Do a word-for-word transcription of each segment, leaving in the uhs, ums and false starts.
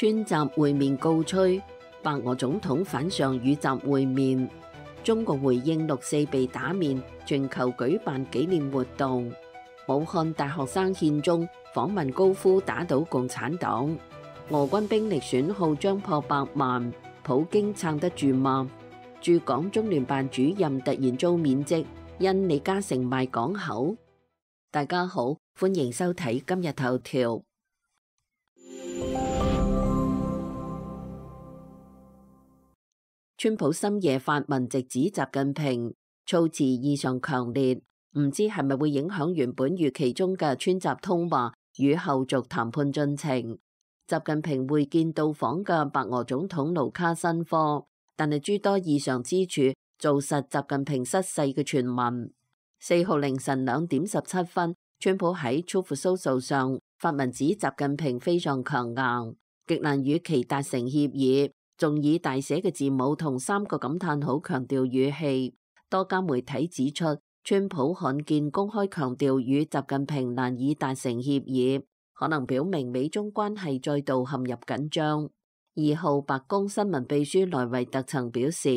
川習會面告吹，白俄總統反上與習會面。中國回應六四被打面，全球舉辦紀念活動。武漢大學生獻中訪問高呼打倒共產黨。俄軍兵力損耗將破百萬，普京撐得住嗎？駐港中聯辦主任突然遭免職，因李嘉誠賣港口。大家好，歡迎收睇今日頭條。川普深夜發文直指習近平，措辭異常強烈，唔知係咪會影響原本預期中嘅川習通話與後續談判進程。習近平會見到訪嘅白俄總統盧卡申科，但係諸多異常之處，造實習近平失勢嘅傳聞。四號凌晨兩點十七分，川普喺 Truth Social 上發文指習近平非常強硬，極難與其達成協議。仲以大寫嘅字母同三個感嘆號強調語氣。多家媒體指出，川普罕見公開強調與習近平難以達成協議，可能表明美中關係再度陷入緊張。二號白宮新聞秘書萊維特曾表示，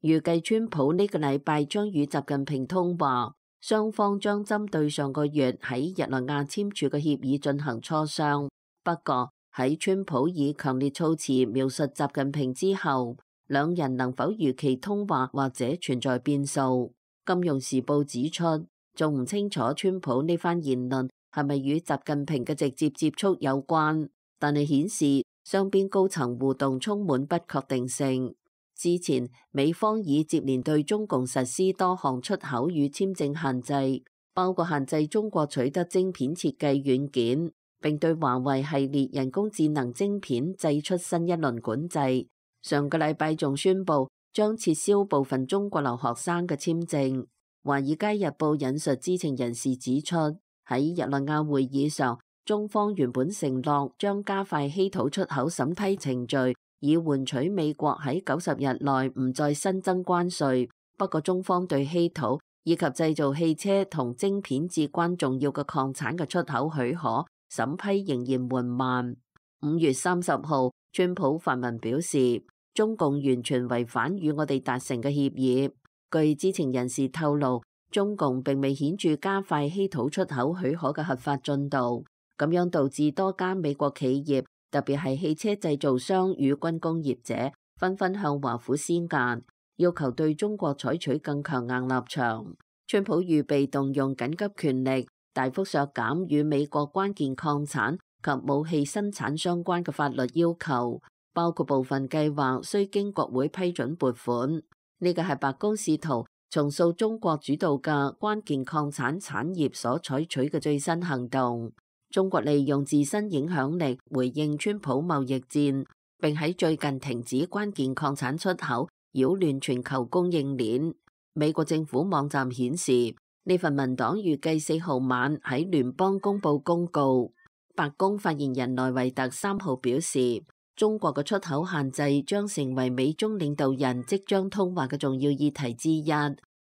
預計川普呢個禮拜將與習近平通話，雙方將針對上個月喺日內瓦簽署嘅協議進行磋商。不過，喺川普以強烈措辭描述習近平之後，兩人能否如期通話或者存在變數。金融時報指出，仲唔清楚川普呢番言論係咪與習近平嘅直接接觸有關，但係顯示雙邊高層互動充滿不確定性。之前美方已接連對中共實施多項出口與簽證限制，包括限制中國取得晶片設計軟件，並對華為系列人工智能晶片祭出新一輪管制。上個禮拜仲宣布將撤銷部分中國留學生嘅簽證。華爾街日報引述知情人士指出，喺日內瓦會議上，中方原本承諾將加快稀土出口審批程序，以換取美國喺九十日內唔再新增關稅。不過中方對稀土以及製造汽車同晶片至關重要嘅礦產嘅出口許可審批仍然緩慢。五月三十號，川普發文表示，中共完全違反與我哋達成嘅協議。據知情人士透露，中共並未顯著加快稀土出口許可嘅核發進度，咁樣導致多家美國企業，特別係汽車製造商與軍工業者，紛紛向華府施壓，要求對中國採取更強硬立場。川普預備動用緊急權力，大幅削減與美國關鍵礦產及武器生產相關嘅法律要求，包括部分計劃需經國會批准撥款。呢個係白宮試圖重塑中國主導嘅關鍵礦產產業所採取嘅最新行動。中國利用自身影響力回應川普貿易戰，並喺最近停止關鍵礦產出口，擾亂全球供應鏈。美國政府網站顯示，呢份文檔預計四號晚喺聯邦公佈公告。白宮發言人萊維特三號表示，中國嘅出口限制將成為美中領導人即將通話嘅重要議題之一。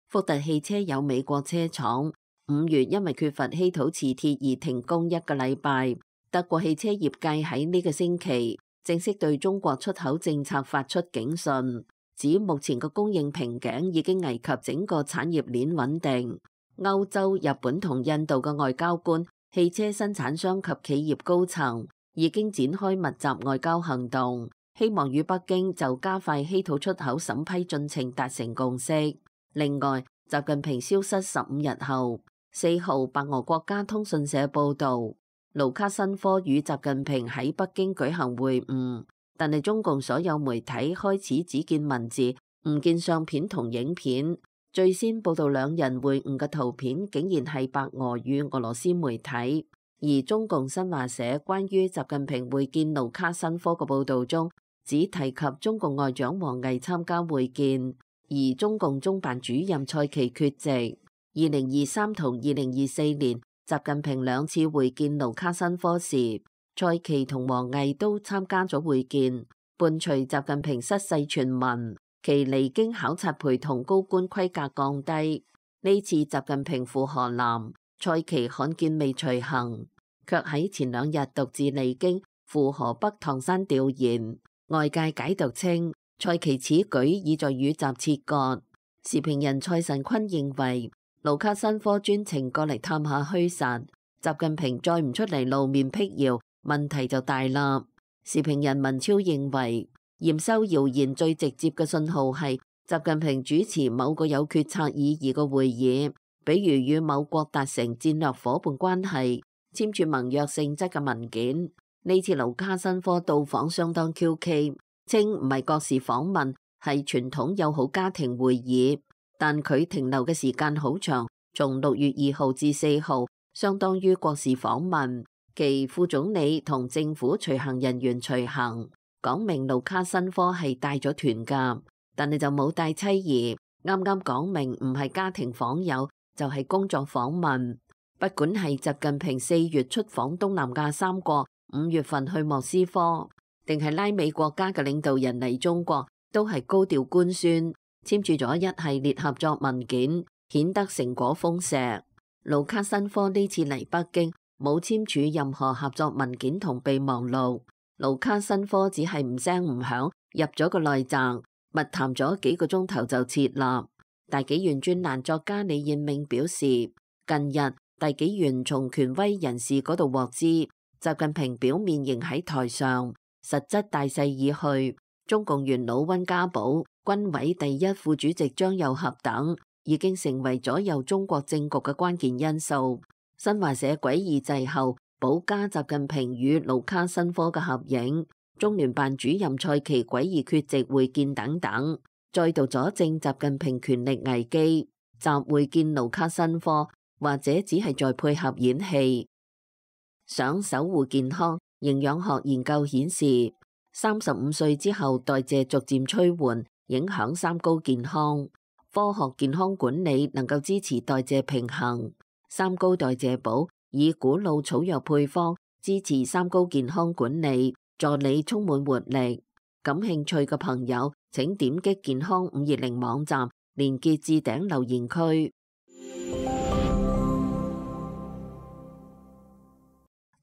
福特汽車有美國車廠五月因為缺乏稀土磁鐵而停工一個禮拜。德國汽車業界喺呢個星期正式對中國出口政策發出警訊，指目前嘅供應瓶頸已經危及整個產業鏈穩定。歐洲、日本同印度嘅外交官、汽車生產商及企業高層已經展開密集外交行動，希望與北京就加快稀土出口審批進程達成共識。另外，習近平消失十五日後，四號白俄國家通訊社報道，盧卡申科與習近平喺北京舉行會晤，但係中共所有媒體開始只見文字，唔見相片同影片。最先報道兩人會晤嘅圖片，竟然係白俄與俄羅斯媒體。而中共新華社關於習近平會見盧卡申科嘅報道中，只提及中共外長王毅參加會見，而中共中辦主任蔡奇缺席。二零二三同二零二四年，習近平兩次會見盧卡申科時，蔡奇同王毅都參加咗會見。伴隨習近平失勢傳聞，其離京考察陪同高官規格降低。呢次習近平赴河南，蔡奇罕見未隨行，卻喺前兩日獨自離京赴河北唐山調研。外界解讀稱，蔡奇此舉意在與習切割。時評人蔡神坤認為，盧卡申科專程過嚟探下虛實，習近平再唔出嚟露面辟謠，問題就大啦。時評人文超認為，驗收謠言最直接嘅信號係習近平主持某個有決策意義嘅會議，比如與某國達成戰略夥伴關係，簽署盟約性質嘅文件。呢次盧卡申科到訪相當蹊蹺，稱唔係國事訪問，係傳統友好家庭會議，但佢停留嘅時間好長，從六月二號至四號，相當於國事訪問。其副總理同政府隨行人員隨行，講明盧卡申科係帶咗團㗎，但係就冇帶妻兒，啱啱講明唔係家庭訪友，就係工作訪問。不管係習近平四月出訪東南亞三國，五月份去莫斯科，定係拉美國家嘅領導人嚟中國，都係高調官宣，簽署咗一系列合作文件，顯得成果豐碩。盧卡申科呢次嚟北京冇簽署任何合作文件同備忘錄，盧卡申科只係唔聲唔響入咗個內宅，密談咗幾個鐘頭就撤立。大紀元專欄作家李彥銘表示，近日大紀元從權威人士嗰度獲知，習近平表面仍喺台上，實質大勢已去。中共元老溫家寶、軍委第一副主席張又俠等已經成為左右中國政局嘅關鍵因素。新華社詭異滯後補加習近平與盧卡申科嘅合影，中聯辦主任蔡奇詭異缺席會見等等，再度佐證習近平權力危機。習會見盧卡申科，或者只係在配合演戲。想守護健康，營養學研究顯示，三十五歲之後代謝逐漸趨緩，影響三高健康。科學健康管理能夠支持代謝平衡。三高代謝寶以古老草藥配方支持三高健康管理，助你充滿活力。感興趣嘅朋友請點擊健康五二零網站，連結置頂留言區。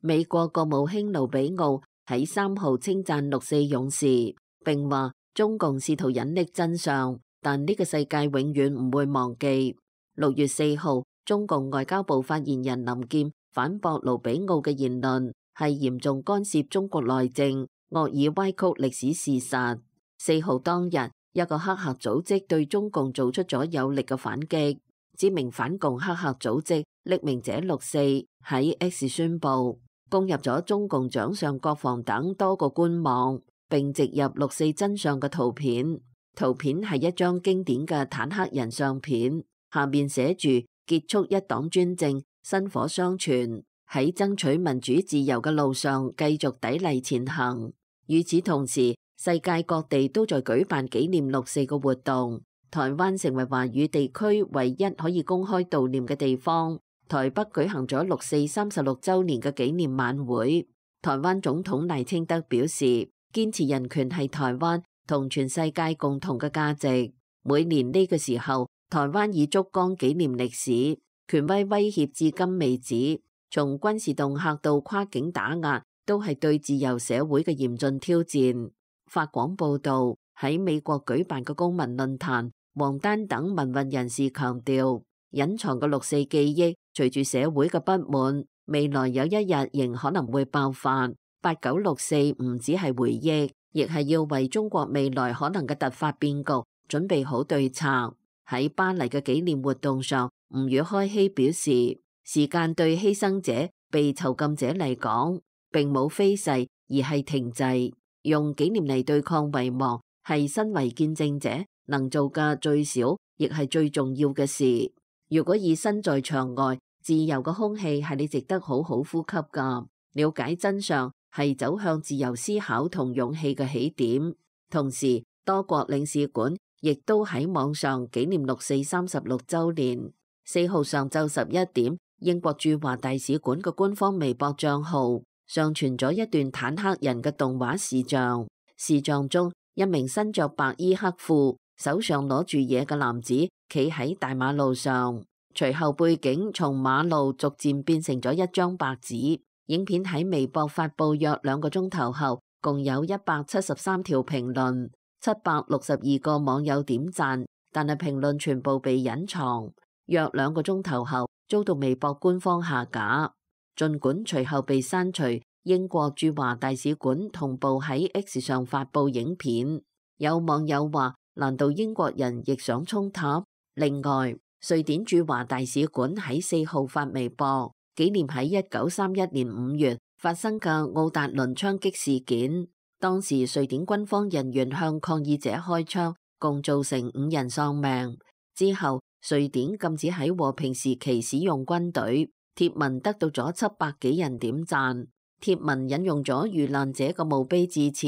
美國國務卿盧比奧喺三號稱讚六四勇士，並話中共試圖隱匿真相，但呢個世界永遠唔會忘記。六月四號，中共外交部發言人林劍反駁盧比奧嘅言論係嚴重干涉中國內政，惡意歪曲歷史事實。四號當日，一個黑客組織對中共做出咗有力嘅反擊。知名反共黑客組織匿名者六四喺 X 宣布攻入咗中共掌上國防等多個官網，並植入六四真相嘅圖片。圖片係一張經典嘅坦克人相片，下面寫住結束一黨專政，薪火相傳，喺爭取民主自由嘅路上繼續砥礪前行。與此同時，世界各地都在舉辦紀念六四嘅活動，台灣成為華語地區唯一可以公開悼念嘅地方。台北舉行咗六四三十六週年嘅紀念晚會。台灣總統賴清德表示，堅持人權係台灣同全世界共同嘅價值。每年呢個時候，台灣以燭光紀念歷史，權威威脅至今未止，從軍事恫嚇到跨境打壓，都係對自由社會嘅嚴峻挑戰。法廣報道，喺美國舉辦嘅公民論壇，王丹等民運人士強調，隱藏嘅六四記憶隨住社會嘅不滿，未來有一日仍可能會爆發。八九六四唔只係回憶，亦係要為中國未來可能嘅突發變局準備好對策。喺巴黎嘅紀念活動上，吳宇開希表示，時間對犧牲者、被囚禁者嚟講，並冇飛逝，而係停滯。用紀念嚟對抗遺忘，係身為見證者能做嘅最少，亦係最重要嘅事。如果以身在場外，自由嘅空氣係你值得好好呼吸噶。了解真相係走向自由思考同勇氣嘅起點。同時，多國領事館亦都喺網上紀念六四三十六週年。四號上晝十一點，英國駐華大使館嘅官方微博賬號上傳咗一段坦克人嘅動畫視像。視像中，一名身着白衣黑褲、手上攞住嘢嘅男子企喺大馬路上，隨後背景從馬路逐漸變成咗一張白紙，影片喺微博發布約兩個鐘頭後，共有一百七十三條評論，七百六十二個網友點讚，但係評論全部被隱藏。約兩個鐘頭後，遭到微博官方下架。儘管隨後被刪除，英國駐華大使館同步喺 X 上發布影片。有網友話：難道英國人亦想衝塔？另外，瑞典駐華大使館喺四號發微博，紀念喺一九三一年五月發生嘅奧達倫槍擊事件。當時瑞典軍方人員向抗議者開槍，共造成五人喪命。之後，瑞典禁止喺和平時期使用軍隊。貼文得到咗七百幾人點讚。貼文引用咗遇難者嘅墓碑致辭，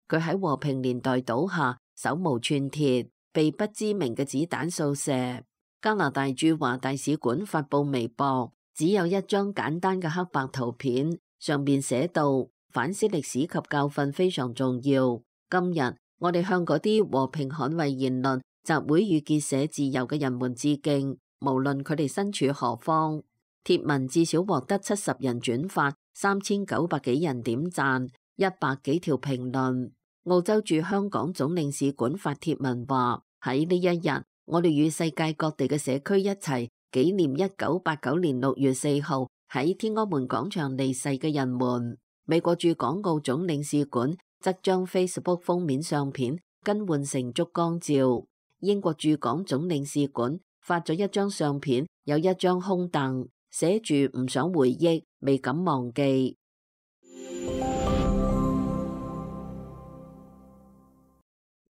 佢喺和平年代倒下，手無寸鐵，被不知名嘅子彈掃射。加拿大駐華大使館發布微博，只有一張簡單嘅黑白圖片，上面寫道：反思歷史及教訓非常重要。今日我哋向嗰啲和平捍衛言論、集會與結社自由嘅人們致敬，無論佢哋身處何方。貼文至少獲得七十人轉發，三千九百幾人點讚，一百幾條評論。澳洲駐香港總領事館發貼文話：喺呢一日，我哋與世界各地嘅社區一齊紀念一九八九年六月四號喺天安門廣場離世嘅人們。美國駐港澳總領事館則將 Facebook 封面相片更換成燭光照。英國駐港總領事館發咗一張相片，有一張空凳，寫住唔想回憶，未敢忘記。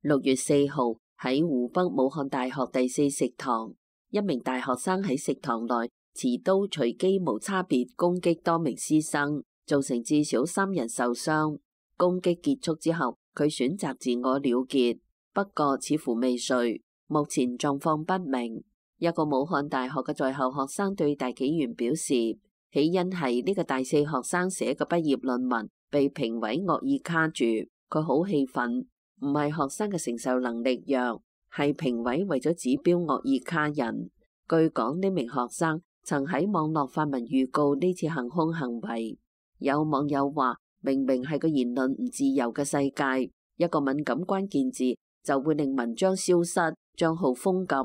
六月四號喺湖北武漢大學第四食堂，一名大學生喺食堂內持刀隨機無差別攻擊多名師生，造成至少三人受傷。攻擊結束之後，佢選擇自我了結，不過似乎未遂，目前狀況不明。一個武漢大學嘅在校學生對大紀元表示，起因係呢個大四學生寫嘅畢業論文被評委惡意卡住，佢好氣憤，唔係學生嘅承受能力弱，係評委為咗指標惡意卡人。據講，呢名學生曾喺網絡發文預告呢次行兇行為。有網友話，明明係個言論唔自由嘅世界，一個敏感關鍵字就會令文章消失，賬號封禁。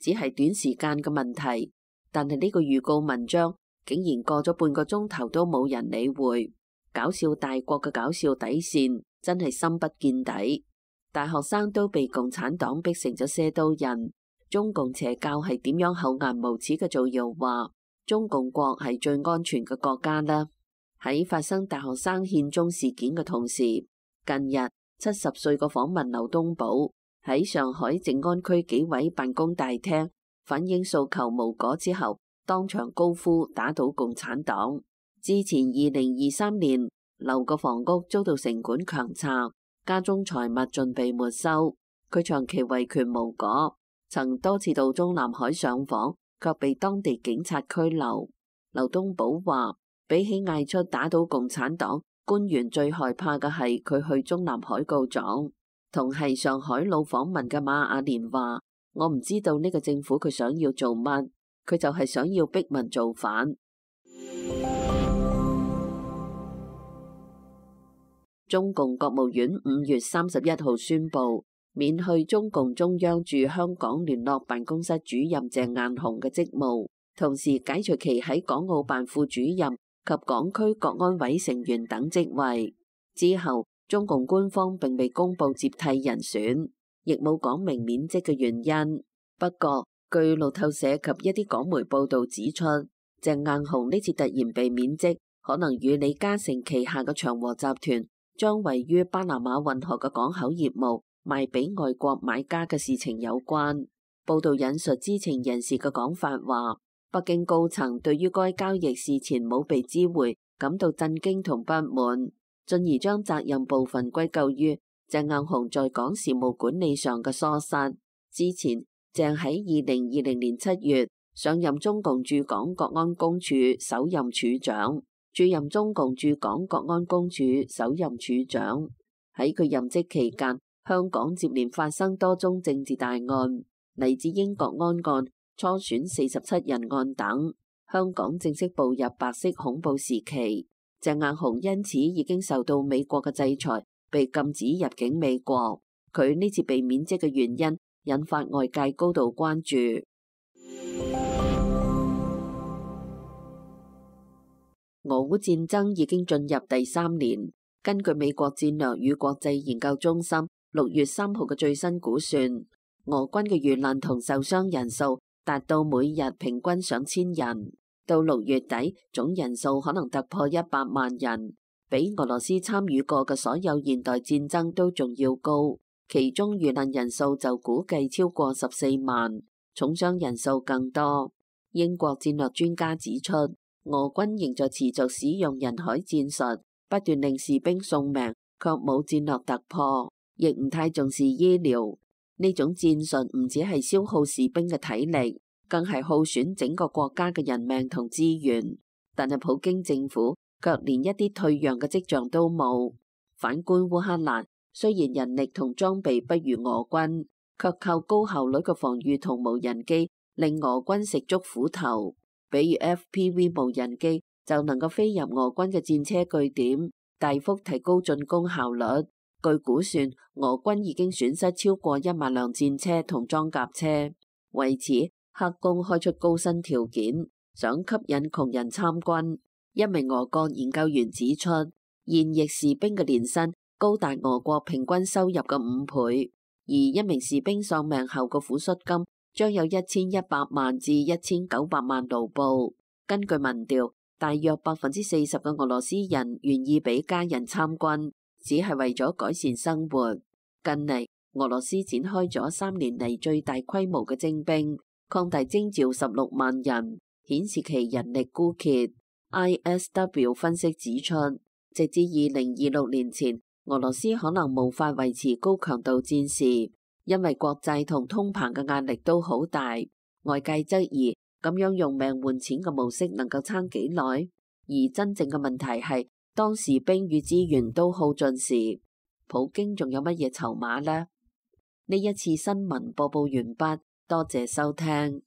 只係短時間嘅問題，但係呢個預告文章竟然過咗半個鐘頭都冇人理會。搞笑大國嘅搞笑底線真係深不見底。大學生都被共產黨逼成咗射刀人。中共邪教係點樣厚顏無恥嘅造謠話中共國係最安全嘅國家呢？喺發生大學生獻鐘事件嘅同時，近日七十歲個訪問劉東寶喺上海靜安區紀委辦公大廳反映訴求無果之後，當場高呼打倒共產黨。之前二零二三年劉個房屋遭到城管強拆，家中財物盡被沒收，佢長期維權無果，曾多次到中南海上訪，卻被當地警察拘留。劉東寶話，比起嗌出打倒共產黨，官員最害怕嘅係佢去中南海告狀。同係上海路訪問嘅馬雅蓮話，我唔知道呢個政府佢想要做乜，佢就係想要逼民造反。中共國務院五月三十一號宣布，免去中共中央駐香港聯絡辦公室主任鄭雁雄嘅職務，同時解除其喺港澳辦副主任及港區國安委成員等職位。之後，中共官方並未公布接替人選，亦冇講明免職嘅原因。不過，據路透社及一啲港媒報道指出，鄭雁雄呢次突然被免職，可能與李嘉誠旗下嘅長和集團將位於巴拿馬運河嘅港口業務賣俾外國買家嘅事情有關。報道引述知情人士嘅講法話，北京高層對於該交易事前冇被知會感到震驚同不滿，進而將責任部分歸咎於鄭雁雄在港事務管理上嘅疏失。之前，鄭喺二零二零年七月上任中共駐港國安公署首任署長，駐任中共駐港國安公署首任署長。喺佢任職期間，香港接連發生多宗政治大案，黎智英國安案、初選四十七人案等，香港正式步入白色恐怖時期。鄭雁雄因此已經受到美國嘅制裁，被禁止入境美國。佢呢次被免職嘅原因引發外界高度關注。俄烏戰爭已經進入第三年，根據美國戰略與國際研究中心六月三號嘅最新估算，俄軍嘅遇難同受傷人數達到每日平均上千人，到六月底總人數可能突破一百萬人，比俄羅斯參與過嘅所有現代戰爭都仲要高。其中遇難人數就估計超過十四萬，重傷人數更多。英國戰略專家指出，俄軍仍在持續使用人海戰術，不斷令士兵送命，卻冇戰略突破，亦唔太重視醫療。呢種戰術唔只係消耗士兵嘅體力，更係耗損整個國家嘅人命同資源。但係普京政府卻連一啲退讓嘅跡象都冇。反觀烏克蘭，雖然人力同裝備不如俄軍，卻靠高效率嘅防禦同無人機，令俄軍食足苦頭。比如 F P V 無人機就能夠飛入俄軍嘅戰車據點，大幅提高進攻效率。據估算，俄軍已經損失超過一萬輛戰車同裝甲車。為此，克宮開出高薪條件，想吸引窮人參軍。一名俄國研究員指出，現役士兵嘅年薪高達俄國平均收入嘅五倍，而一名士兵喪命後嘅撫恤金將有一千一百萬至一千九百萬盧布。根據民調，大約百分之四十嘅俄羅斯人願意俾家人參軍，只係為咗改善生活。近嚟，俄羅斯展開咗三年嚟最大規模嘅徵兵，擴大徵召十六萬人，顯示其人力枯竭。I S W 分析指出，直至二零二六年前，俄羅斯可能無法維持高強度戰事。因為國債同通膨嘅壓力都好大，外界質疑咁樣用命換錢嘅模式能夠撐幾耐？而真正嘅問題係，當士兵與資源都耗盡時，普京仲有乜嘢籌碼呢？呢一次新聞播報完畢，多謝收聽。